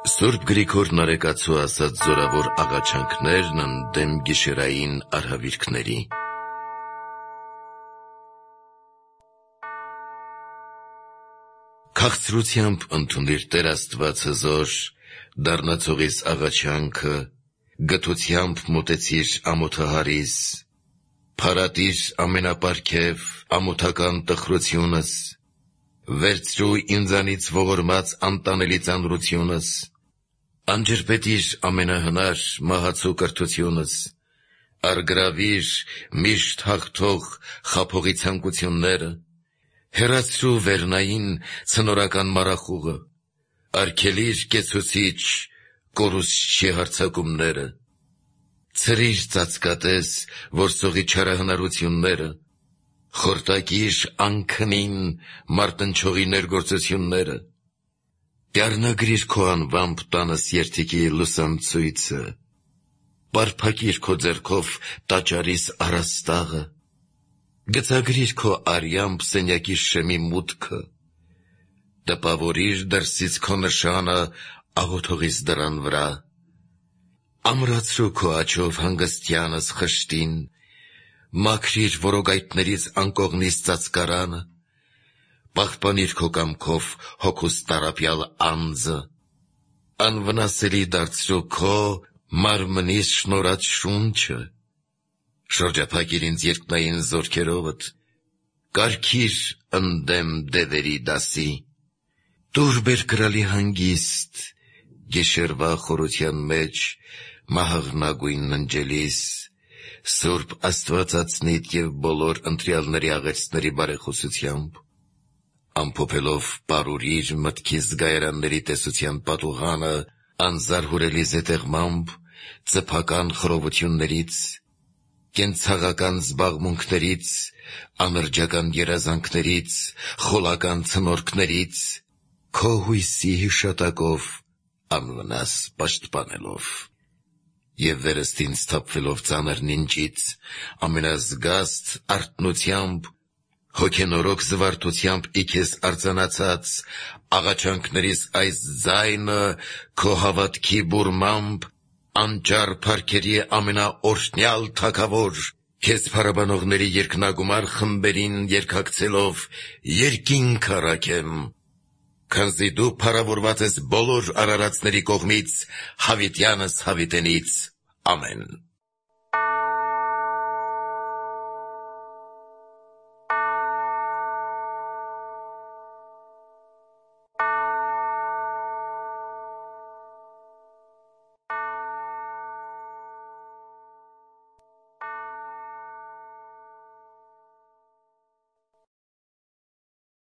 Սուրբ Գրիգոր Նարեկացու ասած զորավոր աղաչանքներն ընդդեմ գիշերային արհավիրքների։ Քաղցրությամբ ընդունիր Տեր Աստված հզոր, դառնացողիս աղաչանքը, գթությամբ մոտեցիր ամոթահարիս, փարատիր ամենապարգև ամոթական տխրությունս, վերցրու ինձանից ողորմած անտանելի ծանրությունս, անջրպետիր ամենահնար մահացու կրթությունս, արգրավիր միշտ հաղթող խաբողի ցանկությունները, հեռացրու վերնային ցնորական մառախուղը, արգելիր կեցուցիչ կորուսչի հարձակումները, ցրիր ծածկատես որսողի չարահնարությունները, խորտակիր անքնին մարտնչողի ներգործությունները, դառնագրիր քո անվամբ տանս երդիքի լուսամցույցը, պարփակիր քո ձեռքով տաճարիս առաստաղը, գծագրիր քո արյամբ սենյակի շեմի մուտքը, տպավորիր դրսից քո նշանը աղոթողիս դռան վրա, ամրացրու քո աջով հանգստյանս խշտին, մաքրիր որոգայթներից անկողնիս ծածկարանը, պահպանիր քո կամքով հոգուս տառապյալ անձը, անվնասելի դարձրու քո մարմնիս շնորհած շունչը, շրջափակիր ինձ երկնային զորքերովդ, կարգիր ընդդեմ դևերի դասի, տուր բեր կրալի հանգիստ, գիշերվա խորության մեջ մահաղնագույն ննջելիս, Սուրբ Աստվածածնիդ և բոլոր ընտրյալների աղեցների բարեխոսությամբ, ամփոփելով պարուրիր մտքիս զգայարանների տեսության պատուհանը անզարհուրելի զետեղմամբ, ծփական խռովություններից, կենցաղական զբաղմունքներից, անրջական երազանքներից, խոլական ցնորքներից, քո հույսի հիշատակով անվնաս պաշտպանելով, և վերստ ինձ թափվելով ծանր նինջից, ամենազգաստ արթնությամբ, հոգենորոք զվարթությամբ ի քեզ արձանացած, աղաչանքներիս այս ձայնը քո հավատքի բուրմամբ, անճար փառքերի ամենաօրհնյալ թագավոր, քեզ փառաբանողների երկնագումար խմբերին երգակցելով երկինք առաքեմ, քանզի դու փառավորված ես բոլոր արարածների կողմից, հավիտյանս հավիտենից, ամեն։